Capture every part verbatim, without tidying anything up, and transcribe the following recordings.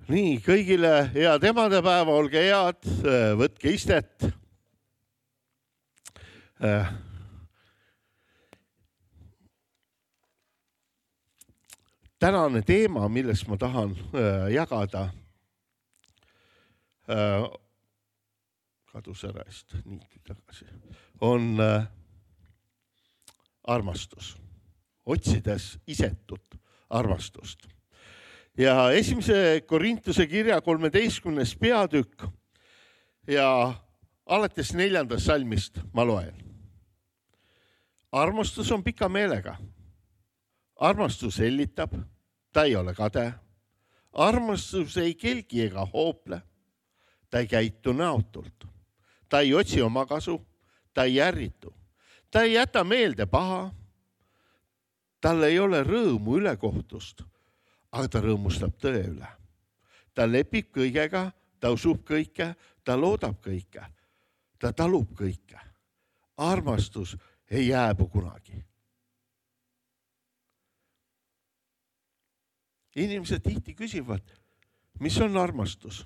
Nii, kõigile head emadepäeva, olge head, võtke istet. Tänane teema, millest ma tahan jagada, kadus ära eest, nii tagasi, on armastus, otsides isetut armastust. Ja esimese Korintuse kirja kolmeteistkümnes peatükk ja alates neljandast salmist ma loen. Armastus on pika meelega. Armastus hellitab, ta ei ole kade. Armastus ei kelgi ega hoople. Ta ei käitu näotult. Ta ei otsi oma kasu, ta ei ärritu. Ta ei jäta meelde paha. Tal ei ole rõõmu ülekohtust. Aga ta rõõmustab tõe üle. Ta lepib kõigega, ta usub kõike, ta loodab kõike, ta talub kõike. Armastus ei jääbu kunagi. Inimesed tihti küsivad, mis on armastus?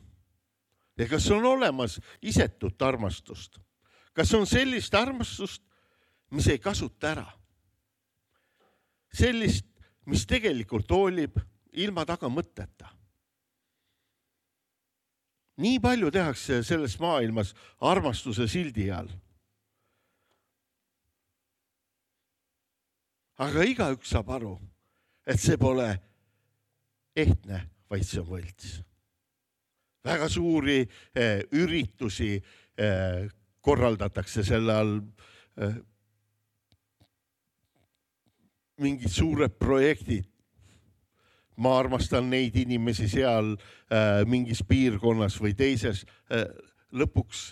Ja kas on olemas isetut armastust? Kas on sellist armastust, mis ei kasuta ära? Sellist, mis tegelikult hoolib ilma taga mõtteta. Nii palju tehakse selles maailmas armastuse sildi all. Aga igaüks saab aru, et see pole ehtne, vaid see on võlts. Väga suuri eh, üritusi eh, korraldatakse selle all eh, mingid suured projektid. Ma armastan neid inimesi seal äh, mingis piirkonnas või teises. Äh, lõpuks,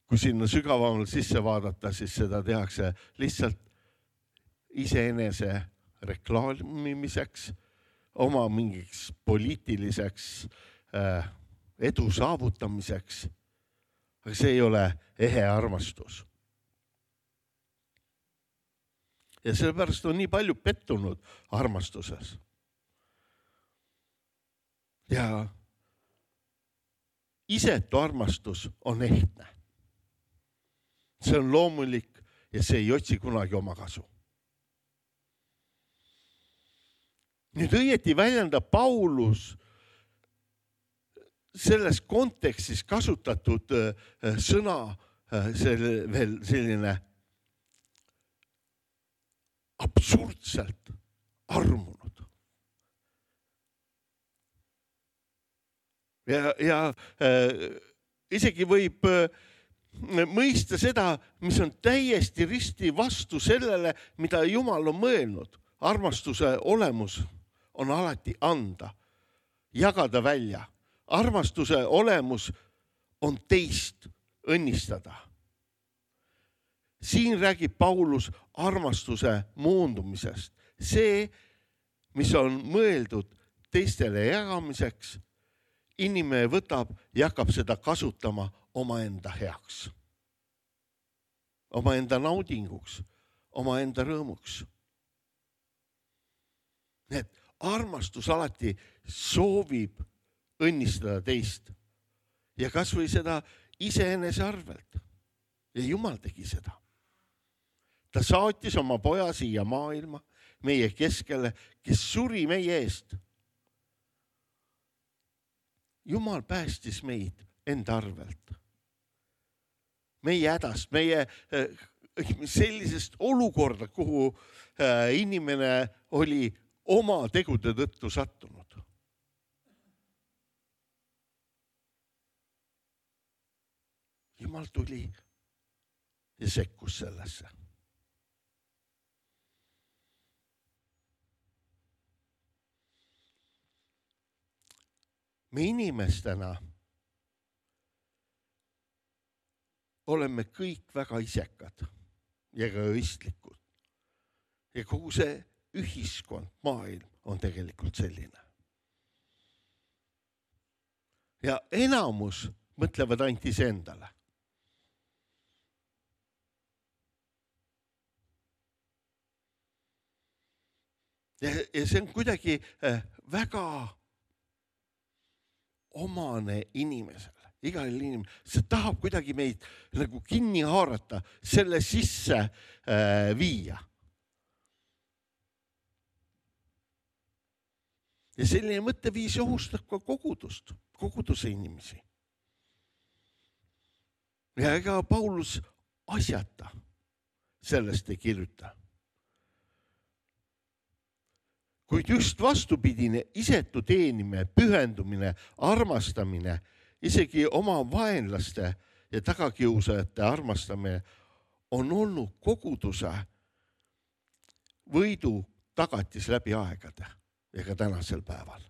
kui sinna sügavamalt sisse vaadata, siis seda tehakse lihtsalt iseenese reklaamimiseks, oma mingiks poliitiliseks äh, edu saavutamiseks. Aga see ei ole ehe armastus. Ja sellepärast on nii palju pettunud armastuses. Ja isetu armastus on ehtne. See on loomulik ja see ei otsi kunagi oma kasu. Nüüd õieti väljendab Paulus selles kontekstis kasutatud sõna selle, veel selline absurdselt armunud. Ja, ja äh, isegi võib äh, mõista seda, mis on täiesti risti vastu sellele, mida Jumal on mõelnud. Armastuse olemus on alati anda, jagada välja. Armastuse olemus on teist õnnistada. Siin räägib Paulus armastuse moondumisest. See, mis on mõeldud teistele jagamiseks, inimene võtab ja hakkab seda kasutama omaenda heaks. Omaenda naudinguks, omaenda rõõmuks. Need armastus alati soovib õnnistada teist. Ja kas või seda iseenese arvelt. Ja Jumal tegi seda. Ta saatis oma poja siia maailma, meie keskele, kes suri meie eest. Jumal päästis meid enda arvelt. Meie hädast, meie sellisest olukorda, kuhu inimene oli oma tegude tõttu sattunud. Jumal tuli ja sekkus sellesse. Me inimestena oleme kõik väga isekad ja egoistlikud. Ja kogu see ühiskond, maailm on tegelikult selline. Ja enamus mõtlevad ainult iseendale. Ja, ja see on kuidagi väga omane inimesele, igal inimesele. See tahab kuidagi meid nagu kinni haarata, selle sisse äh, viia. Ja selline mõtteviis ohustab ka kogudust, koguduse inimesi. Ja ega Paulus asjata sellest ei kirjuta. Kuid just vastupidine isetu teenimine, pühendumine, armastamine, isegi oma vaenlaste ja tagakiusajate armastamine on olnud koguduse võidu tagatis läbi aegade ja ka tänasel päeval.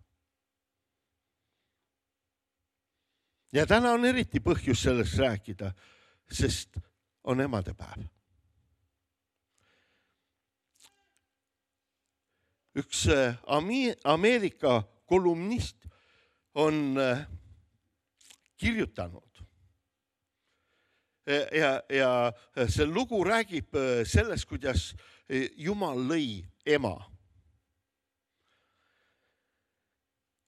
Ja täna on eriti põhjus sellest rääkida, sest on emadepäev. Üks Ameerika kolumnist on kirjutanud ja, ja see lugu räägib sellest, kuidas Jumal lõi ema.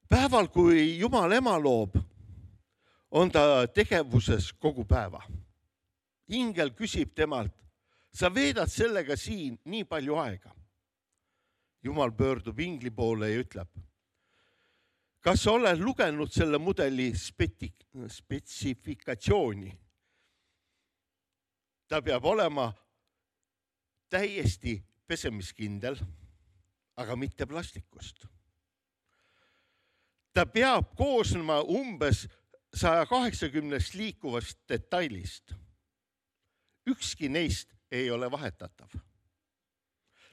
Päeval, kui Jumal ema loob, on ta tegevuses kogu päeva. Ingel küsib temalt, sa veedad sellega siin nii palju aega. Jumal pöördub ingli poole ja ütleb, kas sa oled lugenud selle mudeli speti- spetsifikatsiooni? Ta peab olema täiesti pesemiskindel, aga mitte plastikust. Ta peab koosnema umbes saja kaheksakümnest liikuvast detailist. Ükski neist ei ole vahetatav.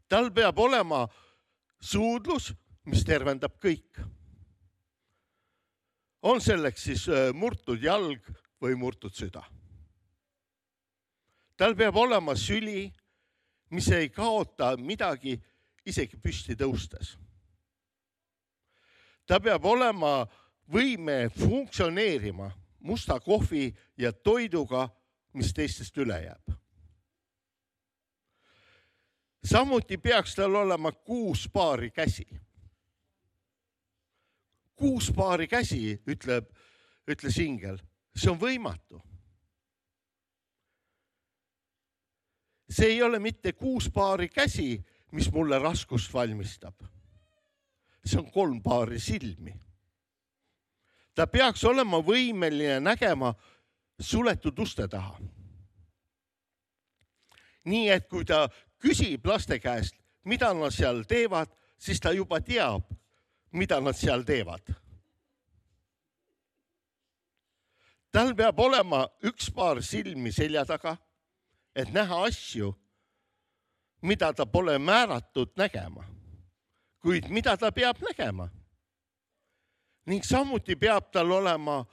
Tal peab olema suudlus, mis tervendab kõik. On selleks siis murtud jalg või murtud süda. Tal peab olema süli, mis ei kaota midagi isegi püsti tõustes. Ta peab olema võime funktsioneerima musta kohvi ja toiduga, mis teistest üle jääb. Samuti peaks tal olema kuus paari käsi. Kuus paari käsi, ütleb, ütles ingel. See on võimatu. See ei ole mitte kuus paari käsi, mis mulle raskust valmistab. See on kolm paari silmi. Ta peaks olema võimeline nägema suletud uste taha. Nii et kui ta küsib laste käest, mida nad seal teevad, siis ta juba teab, mida nad seal teevad. Tal peab olema üks paar silmi selja taga, et näha asju, mida ta pole määratud nägema, kuid mida ta peab nägema. Ning samuti peab tal olema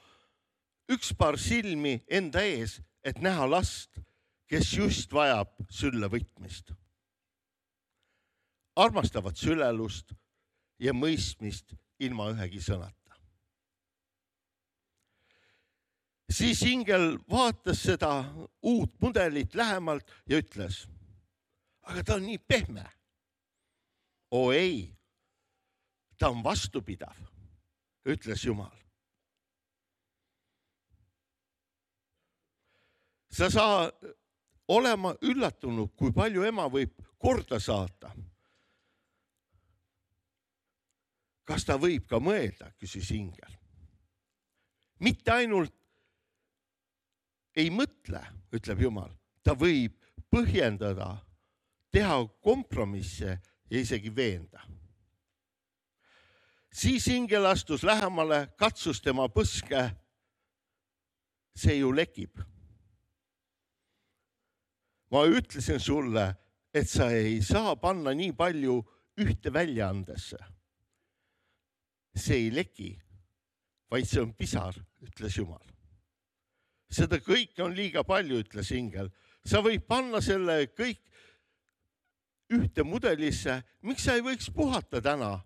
üks paar silmi enda ees, et näha last, kes just vajab sülle võtmist. Armastavad sülelust ja mõistmist ilma ühegi sõnata. Siis ingel vaatas seda uut mudelit lähemalt ja ütles, aga ta on nii pehme. Oo ei, ta on vastupidav, ütles Jumal. Sa saa olema üllatunud, kui palju ema võib korda saata. Kas ta võib ka mõelda, küsis ingel. Mitte ainult ei mõtle, ütleb Jumal, ta võib põhjendada, teha kompromisse ja isegi veenda. Siis ingel astus lähemale, katsus tema põske. See ju lekib. Ma ütlesin sulle, et sa ei saa panna nii palju ühte väljaandesse. See ei leki, vaid see on pisar, ütles Jumal. Seda kõike on liiga palju, ütles ingel. Sa võid panna selle kõik ühte mudelisse. Miks sa ei võiks puhata täna?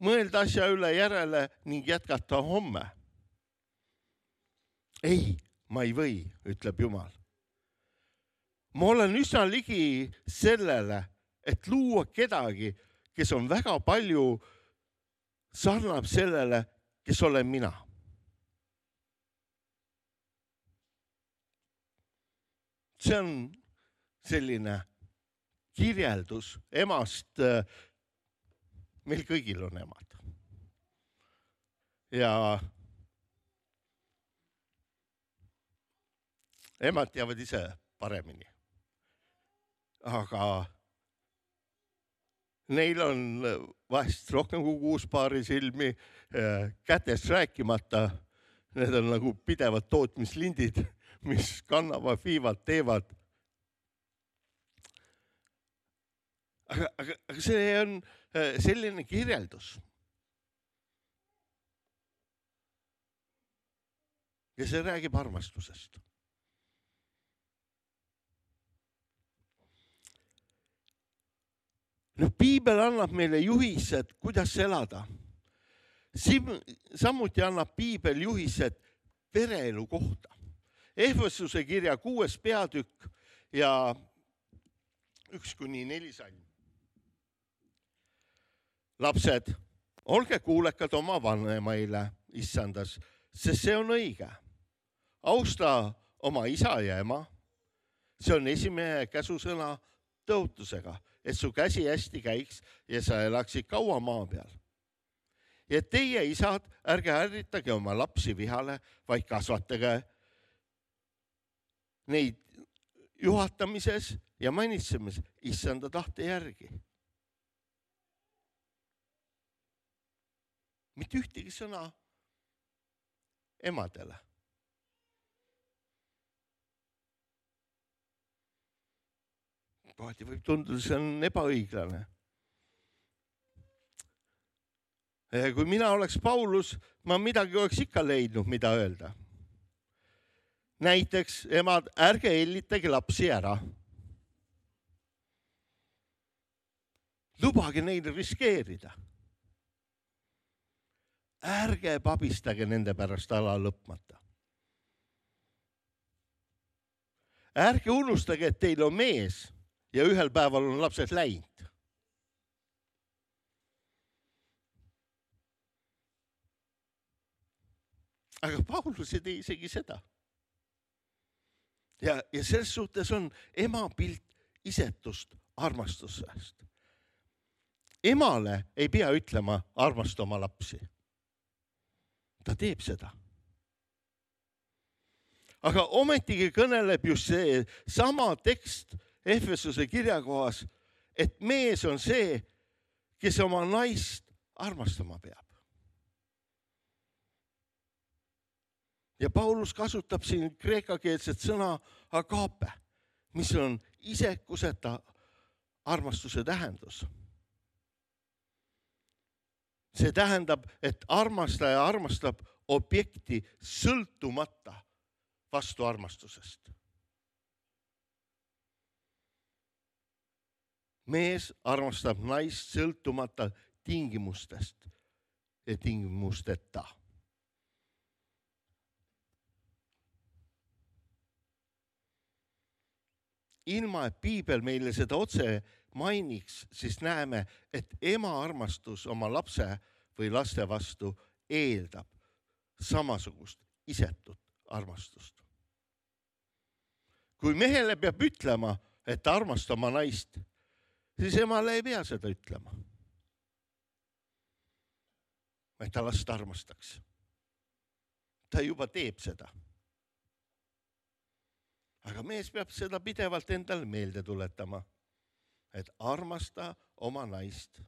Mõelda asja üle järele ning jätkata homme. Ei, ma ei või, ütleb Jumal. Ma olen üsna ligi sellele, et luua kedagi, kes on väga palju sarnab sellele, kes olen mina. see on selline kirjeldus emast. Meil kõigil on emad. Ja emad teavad ise paremini. Aga neil on vahest rohkem kui kuus paari silmi, kätest rääkimata. Need on nagu pidevad tootmislindid, mis kannavad, viivad, teevad. Aga, aga, aga see on selline kirjeldus. Ja see räägib armastusest. No, piibel annab meile juhised, kuidas elada. Samuti annab piibel juhised pereelu kohta. Ehvesuse kirja kuues peatükk ja üks kuni neli salm. Lapsed, olge kuulekad oma vanemaile issandas, sest see on õige. Austa oma isa ja ema. See on esimene käsusõna tõotusega, et su käsi hästi käiks ja sa elaksid kaua maa peal. Ja teie isad, ärge ärritage oma lapsi vihale, vaid kasvatage neid juhatamises ja manitsemises issanda tahte järgi. Mitte ühtegi sõna emadele. Kohati võib tunduda, see on ebaõiglane. Kui mina oleks Paulus, ma midagi oleks ikka leidnud, mida öelda. Näiteks, emad, ärge hellitage lapsi ära. Lubage neil riskeerida. Ärge pabistage nende pärast ala lõpmata. Ärge unustage, et teil on mees ja ühel päeval on lapsed läinud. Aga Paulus ei tee isegi seda. Ja, ja selles suhtes on ema pilt isetust armastusest. Emale ei pea ütlema armasta oma lapsi. Ta teeb seda. Aga ometigi kõneleb just see sama tekst Ehvesuse kirjakohas, et mees on see, kes oma naist armastama peab. Ja Paulus kasutab siin kreekakeelset sõna agape, mis on isekuseta armastuse tähendus. See tähendab, et armastaja armastab objekti sõltumata vastu armastusest. Mees armastab naist sõltumata tingimustest ja tingimusteta. Ilma, et piibel meile seda otse mainiks, siis näeme, et ema armastus oma lapse või laste vastu eeldab samasugust isetut armastust. Kui mehele peab ütlema, et armasta oma naist, siis emale ei pea seda ütlema. Et ta last armastaks. Ta juba teeb seda. Aga mees peab seda pidevalt endale meelde tuletama, et armasta oma naist.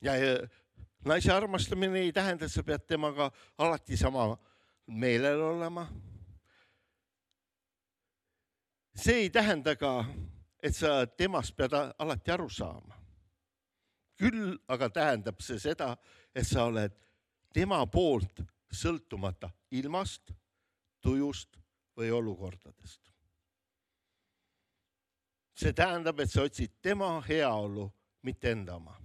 Ja naise armastamine ei tähenda, et sa pead temaga alati sama meelel olema. See ei tähenda ka, et sa temast pead alati aru saama. Küll aga tähendab see seda, et sa oled tema poolt sõltumata ilmast, tujust või olukordadest. See tähendab, et sa otsid tema heaolu, mitte enda oma.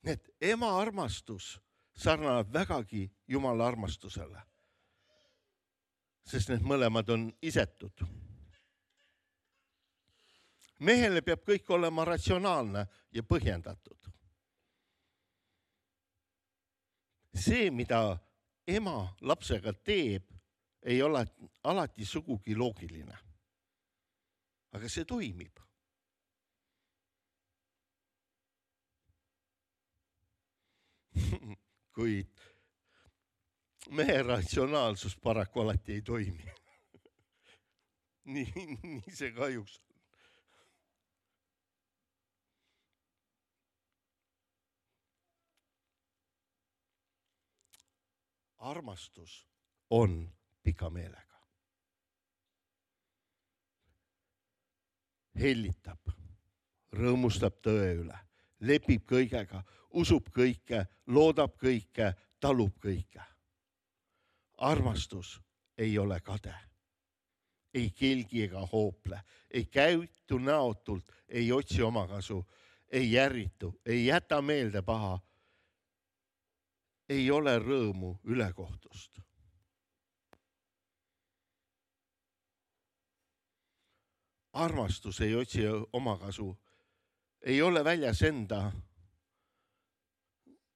Need ema armastus sarnaneb vägagi Jumala armastusele, sest need mõlemad on isetud. Mehele peab kõik olema ratsionaalne ja põhjendatud. See, mida ema lapsega teeb, ei ole alati sugugi loogiline. Aga see toimib. Kuid mehe ratsionaalsus paraku alati ei toimi. nii, nii see kahjuks on. Armastus on pika meelega. Hellitab, rõõmustab tõe üle, lepib kõigega, usub kõike, loodab kõike, talub kõike. Armastus ei ole kade, ei kelgi ega hoople, ei käitu näotult, ei otsi omakasu, ei järritu, ei jäta meelde paha, ei ole rõõmu ülekohtust. Armastus ei otsi omakasu, ei ole väljas enda,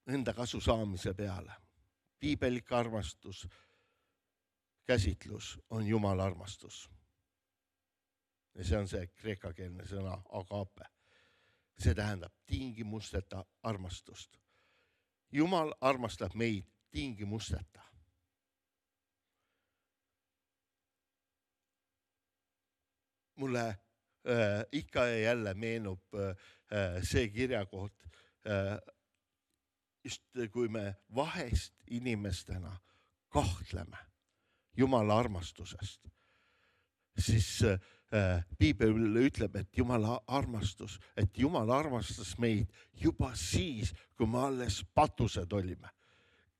enda kasu saamise peale. Piibelik armastus, käsitlus on Jumala armastus. Ja see on see kreekakeelne sõna agape. See tähendab tingimusteta armastust. Jumal armastab meid tingimusteta. Mulle äh, ikka ja jälle meenub äh, see kirjakoht, äh, just kui me vahest inimestena kahtleme Jumala armastusest, siis äh, Piibel ütleb, et Jumala armastus, et Jumal armastas meid juba siis, kui me alles patused olime.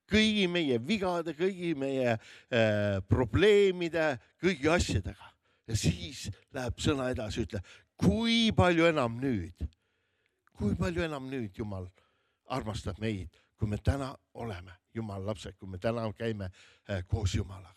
Kõigi meie vigade, kõigi meie äh, probleemide, kõigi asjadega. Ja siis läheb sõna edasi, ütle, kui palju enam nüüd, kui palju enam nüüd Jumal armastab meid, kui me täna oleme Jumala lapsed, kui me täna käime äh, koos Jumalaga.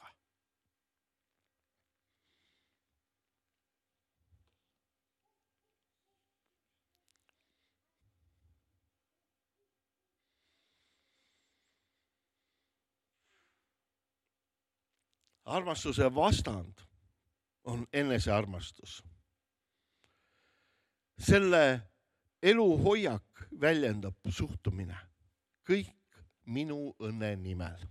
Armastuse vastand on enesearmastus. Selle eluhoiak väljendab suhtumine. Kõik minu õnne nimel.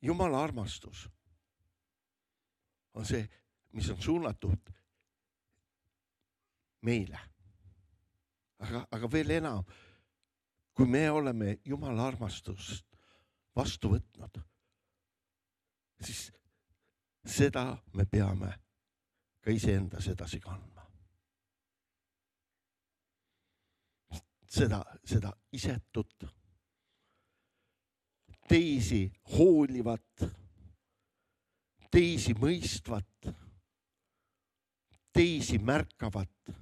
Jumala armastus on see, mis on suunatud meile. Aga, aga veel enam, kui me oleme Jumala armastust vastu võtnud, siis seda me peame ka iseendas edasi kandma. Seda, seda isetut, teisi hoolivat, teisi mõistvat, teisi märkavat.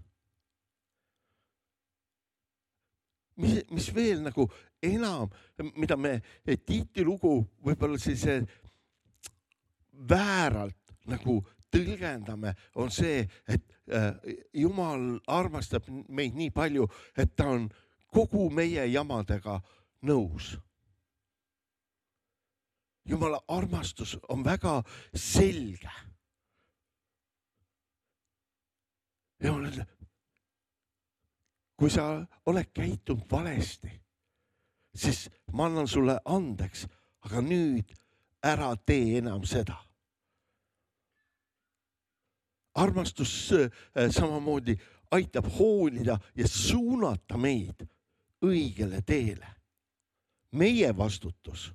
Mis, mis veel nagu enam, mida me Tiiti lugu võib-olla sellise vääralt nagu tõlgendame, on see, et Jumal armastab meid nii palju, et ta on kogu meie jamadega nõus. Jumala armastus on väga selge. Ja kui sa oled käitunud valesti, siis ma annan sulle andeks, aga nüüd ära tee enam seda. Armastus samamoodi aitab hoolida ja suunata meid õigele teele. Meie vastutus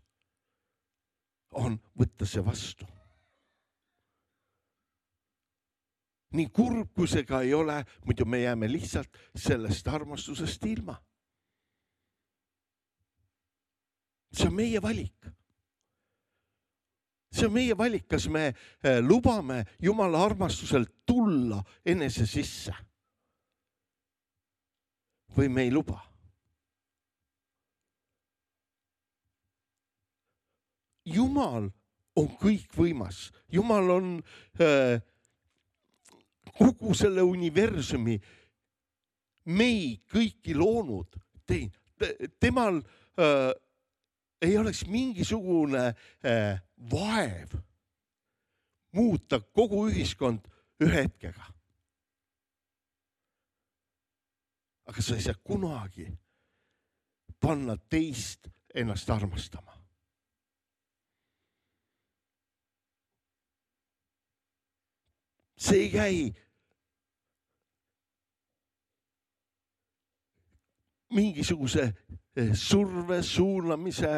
on võtta see vastu. Nii kurb, kui see ka ei ole, muidu me jääme lihtsalt sellest armastusest ilma. See on meie valik. See on meie valik, kas me lubame Jumala armastuselt tulla enese sisse või me ei luba. Jumal on kõikvõimas. Jumal on äh, kogu selle universumi meid kõiki loonud. Temal äh, ei oleks mingisugune äh, vaev muuta kogu ühiskond ühe hetkega. Aga sa ei saa kunagi panna teist ennast armastama. See ei käi mingisuguse surve, suunamise,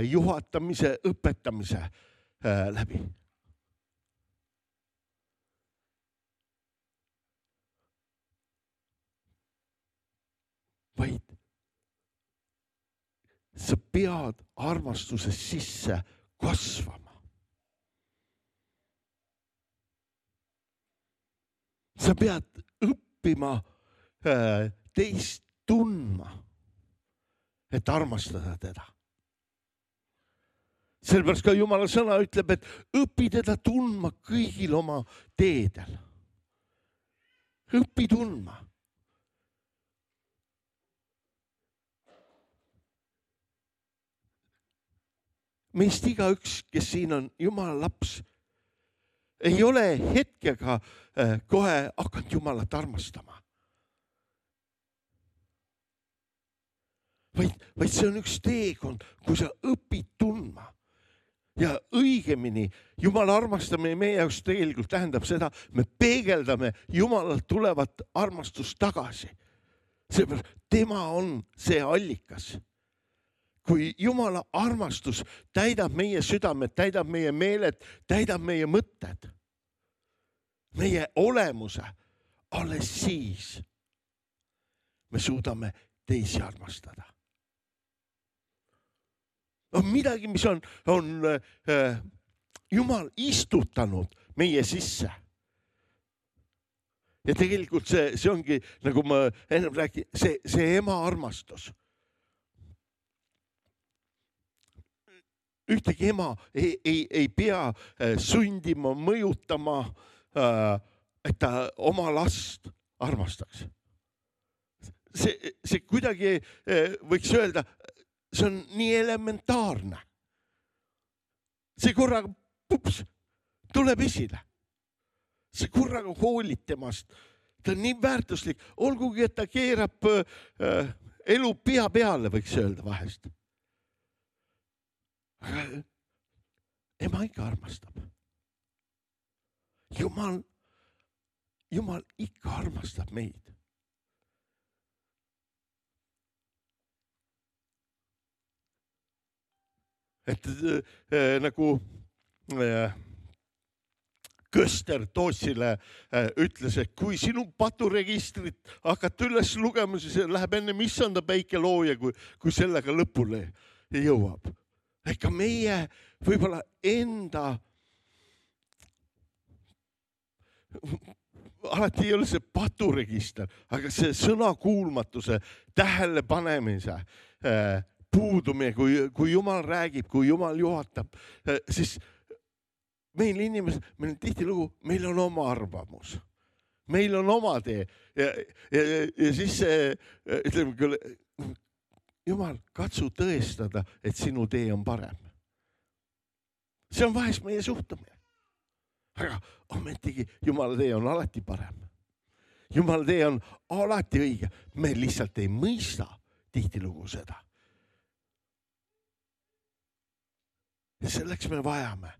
juhatamise, õpetamise läbi. Vaid sa pead armastuses sisse kasvama. Sa pead õppima teist tundma, et armastada teda. Sellepärast ka Jumala sõna ütleb, et õpi teda tundma kõigil oma teedel. Õpi tundma. Meist igaüks, kes siin on Jumala laps, ei ole hetkega kohe hakanud Jumalat armastama. Vaid, vaid see on üks teekond, kui sa õpid tundma. Ja õigemini Jumala armastamine meie jaoks tegelikult tähendab seda, me peegeldame Jumalalt tulevat armastust tagasi. Seepärast tema on see allikas. Kui Jumala armastus täidab meie südamed, täidab meie meeled, täidab meie mõtted, meie olemuse, alles siis me suudame teisi armastada. On midagi, mis on, on äh, Jumal istutanud meie sisse. Ja tegelikult see, see ongi, nagu ma ennem räägin, see, see ema armastus. Ühtegi ema ei, ei, ei pea sundima, mõjutama, et ta oma last armastaks. See, see kuidagi võiks öelda, see on nii elementaarne. See korraga pups, tuleb esile. See korraga hoolib temast. Ta on nii väärtuslik, olgugi, et ta keerab elu pea peale, võiks öelda vahest. Aga ema ikka armastab. Jumal, Jumal ikka armastab meid. Et äh, nagu äh, Köster Toossile äh, ütles, et kui sinu paturegistrit hakata üles lugema, siis läheb enne issanda päike looja, kui, kui sellega lõpule jõuab. Ega meie võib-olla enda, alati ei ole see paturegister, aga see sõnakuulmatuse, tähelepanemise äh, puudumine, kui, kui Jumal räägib, kui Jumal juhatab, äh, siis meil inimesed, meil on tihti lugu, meil on oma arvamus. Meil on oma tee ja, ja, ja siis see, ütleme küll, Jumal, katsu tõestada, et sinu tee on parem. See on vahest meie suhtumine. Aga ometigi Jumala tee on alati parem. Jumala tee on alati õige. Me lihtsalt ei mõista tihtilugu seda. Ja selleks me vajame,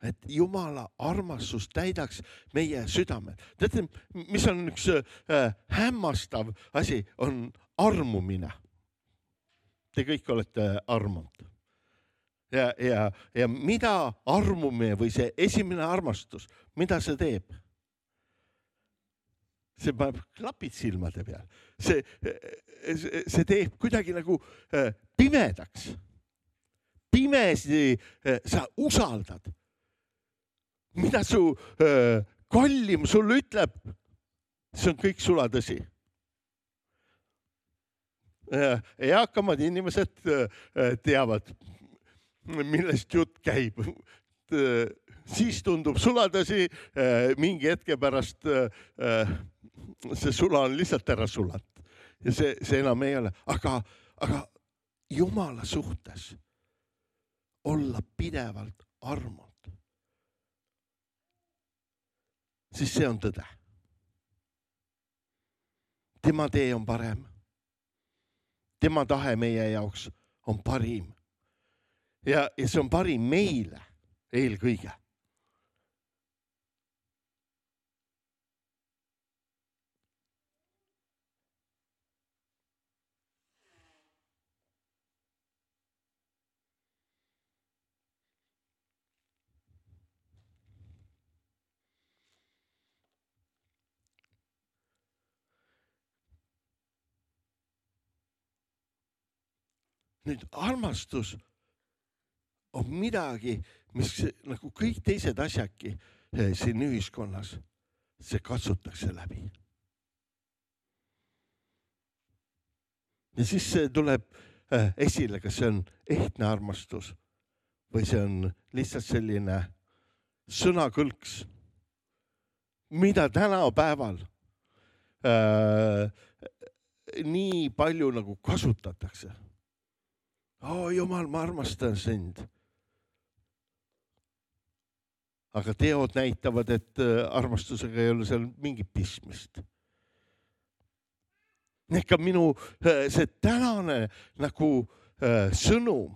et Jumala armastus täidaks meie südamed. Teate, mis on üks äh, hämmastav asi, on armumine. Te kõik olete armunud. Ja, ja, ja mida armumine või see esimene armastus, mida see teeb? See paneb klapid silmade peal. See, see, see teeb kuidagi nagu pimedaks. Pimesi sa usaldad. Mida su kallim sulle ütleb, see on kõik sulatõsi. Eakamad inimesed teavad, millest jutt käib. Siis tundub suladasi, mingi hetke pärast see sula on lihtsalt ära sulat ja see, see enam ei ole, aga, aga Jumala suhtes olla pidevalt armud, siis see on tõde. Tema tee on parem. Tema tahe meie jaoks on parim. Ja, ja see on parim meile eelkõige. Nüüd armastus on midagi, mis nagu kõik teised asjadki siin ühiskonnas, see katsutakse läbi. Ja siis see tuleb esile, kas see on ehtne armastus või see on lihtsalt selline sõnakõlks, mida tänapäeval äh, nii palju nagu kasutatakse. Oh, Jumal, ma armastan sind. Aga teod näitavad, et armastusega ei ole seal mingit pistmist. Ega minu see tänane nagu äh, sõnum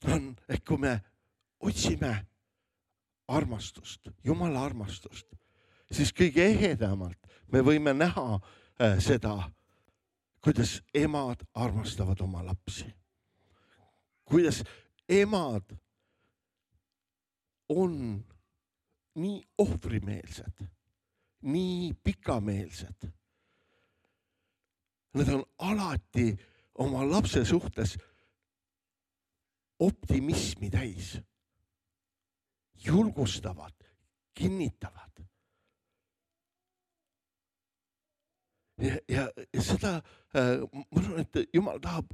on, et kui me otsime armastust, Jumala armastust, siis kõige ehedamalt me võime näha äh, seda, kuidas emad armastavad oma lapsi. Kuidas emad on nii ohvrimeelsed, nii pikameelsed. Nad on alati oma lapse suhtes optimismi täis. Julgustavad, kinnitavad. Ja, ja, ja seda, ma arvan, et Jumal tahab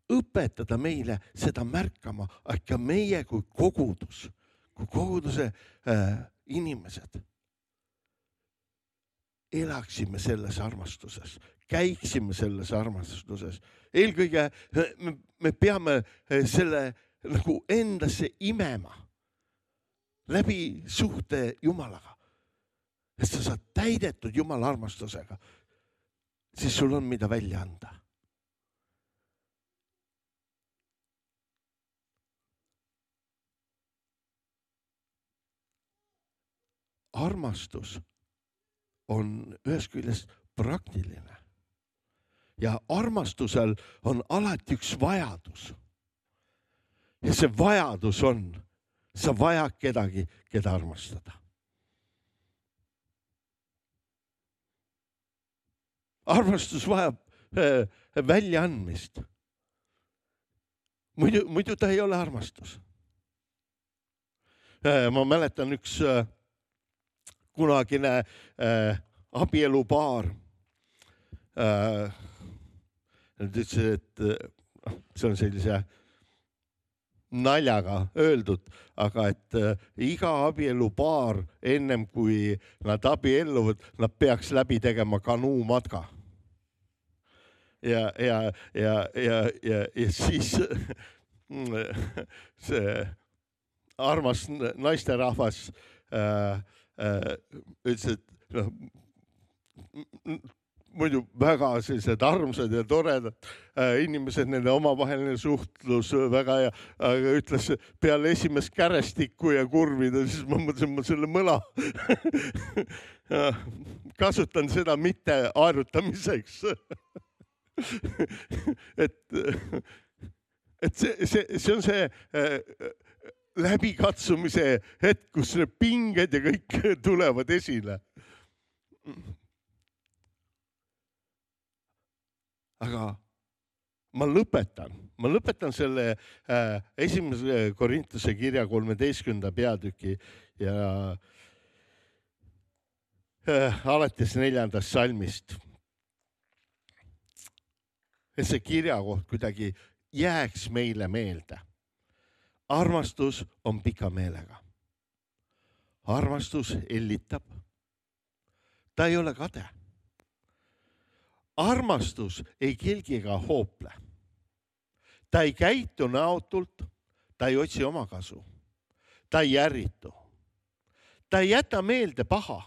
õpetada meile seda märkama, aga meie kui kogudus, kui koguduse äh, inimesed elaksime selles armastuses, käiksime selles armastuses. Eelkõige me, me peame selle nagu endasse imema läbi suhte Jumalaga. Et sa saad täidetud Jumala armastusega, siis sul on mida välja anda. Armastus on ühest küljest praktiline ja armastusel on alati üks vajadus. Ja see vajadus on, sa vajad kedagi, keda armastada. Armastus vajab äh, väljaandmist. Muidu, muidu ta ei ole armastus. Äh, ma mäletan üks äh, kunagine äh, abielupaar. Äh, nad ütlesid, et äh, see on sellise naljaga öeldud, aga et äh, iga abielupaar ennem kui nad abielluvad, nad peaks läbi tegema kanuumatka. Ja, ja, ja, ja, ja, ja siis see armas naisterahvas äh, äh, ütles, et no, muidu väga sellised armsad ja toredad äh, inimesed, nende omavaheline suhtlus väga hea, aga ütles peale esimest kärestikku ja kurvida, siis ma mõtlesin, ma selle mõla kasutan seda mitte aerutamiseks. et, et see, see, see on see äh, läbikatsumise hetk, kus need pinged ja kõik tulevad esile. Aga ma lõpetan, ma lõpetan selle äh, esimese Korintuse kirja kolmeteistkümnenda peatüki ja äh, alates neljandast salmist. Et see kirjakoht kuidagi jääks meile meelde. armastus on pika meelega. Armastus hellitab. Ta ei ole kade. Armastus ei kelgi ega hoople. Ta ei käitu näotult, ta ei otsi oma kasu. Ta ei ärritu. Ta ei jäta meelde paha.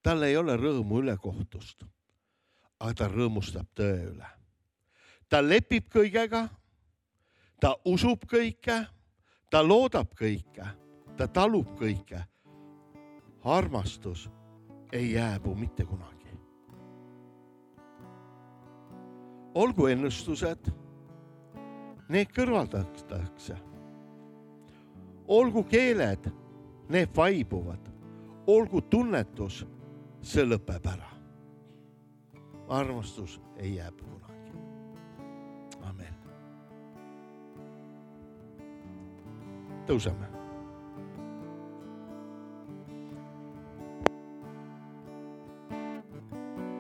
Tal ei ole rõõmu ülekohtust, aga ta rõõmustab tõe üle. Ta lepib kõigega, ta usub kõike, ta loodab kõike, ta talub kõike. Armastus ei jääbu mitte kunagi. Olgu ennustused, need kõrvaldatakse. Olgu keeled, need vaibuvad. Olgu tunnetus, see lõpeb ära. Armastus ei jääb kunagi. Amen. Tõuseme.